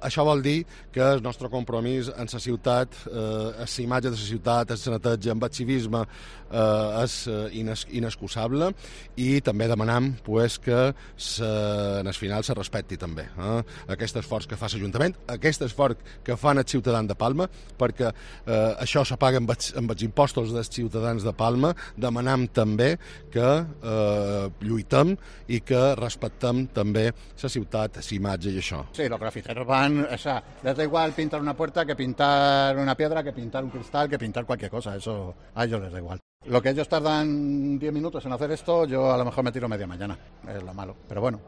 Això vol dir que el nostre compromís en la ciutat, la imatge de la ciutat, el neteja, amb el civisme, és inexcusable, i també demanam que en el final se respecti també aquest esforç que fa l'Ajuntament, aquest esforç que fan els ciutadans de Palma, perquè això se paga amb els impostos dels ciutadans de Palma. Demanam també que lluitem i que respectem també la ciutat, la imatge i això. Sí, los grafiteros van, o sea, les da igual pintar una puerta que pintar una piedra, que pintar un cristal, que pintar cualquier cosa, eso a ellos les da igual. Lo que ellos tardan 10 minutos en hacer esto, yo a lo mejor me tiro media mañana, es lo malo, pero bueno.